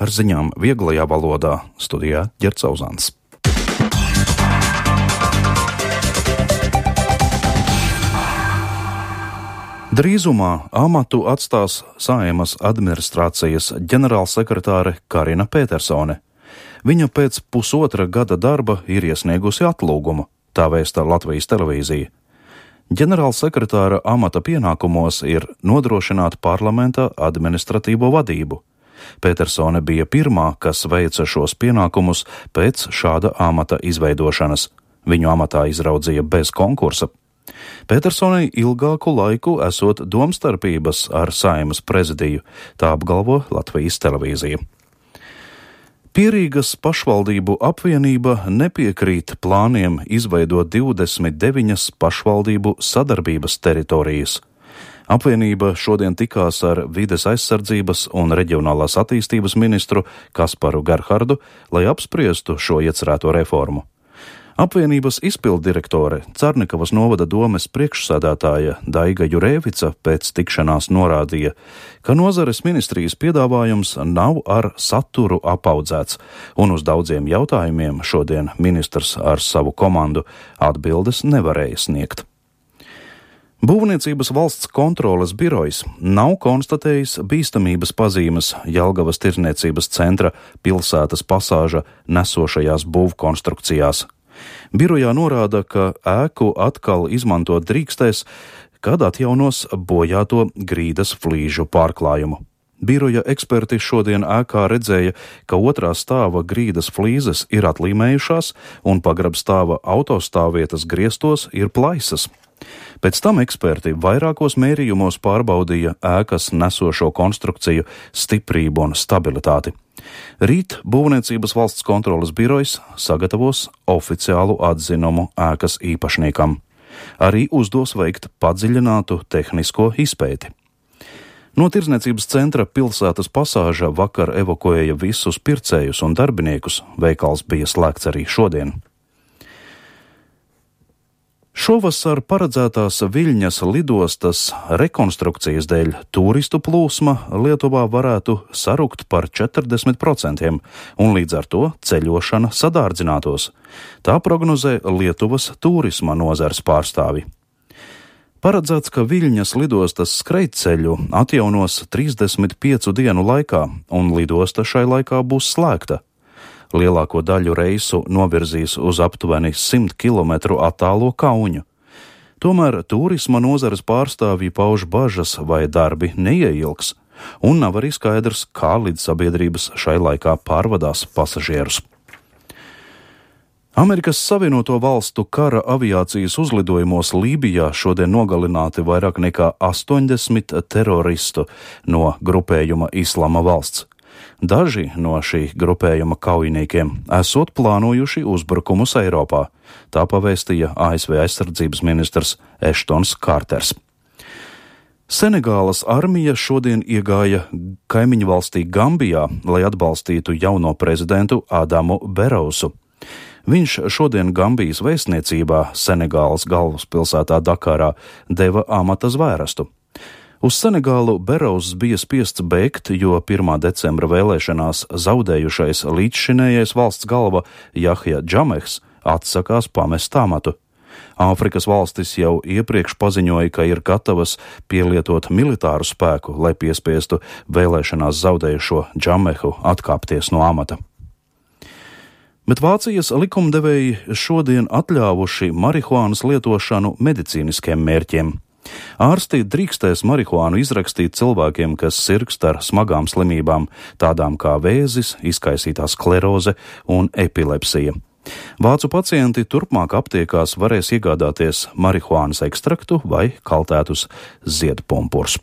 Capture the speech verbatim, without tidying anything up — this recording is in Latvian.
ar ziņām vieglajā valodā studijā Ģerts Auzāns. Drīzumā amatu atstās Saeimas administrācijas ģenerālsekretāre Karina Petersone. Viņa pēc pusotra gada darba ir iesniegusi atlūgumu, tā vēsta Latvijas televīzija. Ģenerālsekretāra amata pienākumos ir nodrošināt parlamenta administratīvo vadību. Petersone bija pirmā, kas veica šos pienākumus pēc šāda amata izveidošanas. Viņu amatā izraudzīja bez konkursa. Petersonei ilgāku laiku esot domstarpības ar Saeimas prezidiju, tā apgalvo Latvijas televīzija. Pierīgas pašvaldību apvienība nepiekrīt plāniem izveidot divdesmit deviņas pašvaldību sadarbības teritorijas. Apvienība šodien tikās ar vides aizsardzības un reģionālās attīstības ministru Kasparu Gerhardu, lai apspriestu šo iecerēto reformu. Apvienības izpilddirektore Carnikavas novada domes priekšsēdētāja Daiga Jurēvica pēc tikšanās norādīja, ka nozares ministrijas piedāvājums nav ar saturu apaudzēts, un uz daudziem jautājumiem šodien ministrs ar savu komandu atbildes nevarēja sniegt. Būvniecības valsts kontroles birojs nav konstatējis bīstamības pazīmes Jelgavas tirdzniecības centra pilsētas pasāža nesošajās būvkonstrukcijās. Birojā norāda, ka ēku atkal izmantot drīkstēs, kad atjaunos bojāto grīdas flīžu pārklājumu. Biroja eksperti šodien ēkā redzēja, ka otrā stāva grīdas flīzes ir atlīmējušās un pagrabstāva autostāvvietas griestos ir plaisas. Pēc tam eksperti vairākos mērījumos pārbaudīja ēkas nesošo konstrukciju stiprību un stabilitāti. Rīt Būvniecības valsts kontroles birojs sagatavos oficiālu atzinumu ēkas īpašniekam. Arī uzdos veikt padziļinātu tehnisko izpēti. No tirdzniecības centra pilsētas pasāža vakar evakuēja visus pircējus un darbiniekus, veikals bija slēgts arī šodien. Šovasar paredzētās Viļņas lidostas rekonstrukcijas dēļ turistu plūsma Lietuvā varētu sarukt par četrdesmit procentiem, un līdz ar to ceļošana sadārdzinātos. Tā prognozē Lietuvas turisma nozares pārstāvi. Paredzēts, ka Viļņas lidostas skrejceļu atjaunos trīsdesmit piecu dienu laikā, un lidosta šai laikā būs slēgta. Lielāko daļu reisu novirzīs uz aptuveni simt kilometru attālo Kauņu. Tomēr turisma nozares pārstāvji pauž bažas, vai darbi neieilgs, un nav arī skaidrs, kā lidsabiedrības šai laikā pārvadās pasažierus. Amerikas Savienoto Valstu kara aviācijas uzlidojumos Lībijā šodien nogalināti vairāk nekā astoņdesmit teroristu no grupējuma Islama valsts. Daži no šī grupējuma kaujiniekiem esot plānojuši uzbrukumus Eiropā, tā pavēstīja A S V aizsardzības ministrs Eštons Kārters. Senegālas armija šodien iegāja kaimiņu valstī Gambijā, lai atbalstītu jauno prezidentu Adamu Berousu. Viņš šodien Gambijas vēstniecībā Senegālas galvaspilsētā Dakarā deva amata zvērestu. Uz Senegālu Berous bija spiests bēgt, jo pirmā decembra vēlēšanās zaudējušais līdzšinējais valsts galva Jahja Džamehs atsakās pamest amatu. Āfrikas valstis jau iepriekš paziņoja, ka ir gatavas pielietot militāru spēku, lai piespiestu vēlēšanās zaudējušo Džamehu atkāpties no amata. Bet Vācijas likumdevēji šodien atļāvuši marihuānas lietošanu medicīniskiem mērķiem. Ārsti drīkstēs marihuānu izrakstīt cilvēkiem, kas sirgst ar smagām slimībām, tādām kā vēzis, izkaisītā skleroze un epilepsija. Vācu pacienti turpmāk aptiekās varēs iegādāties marihuānas ekstraktu vai kaltētus ziedpumpurus.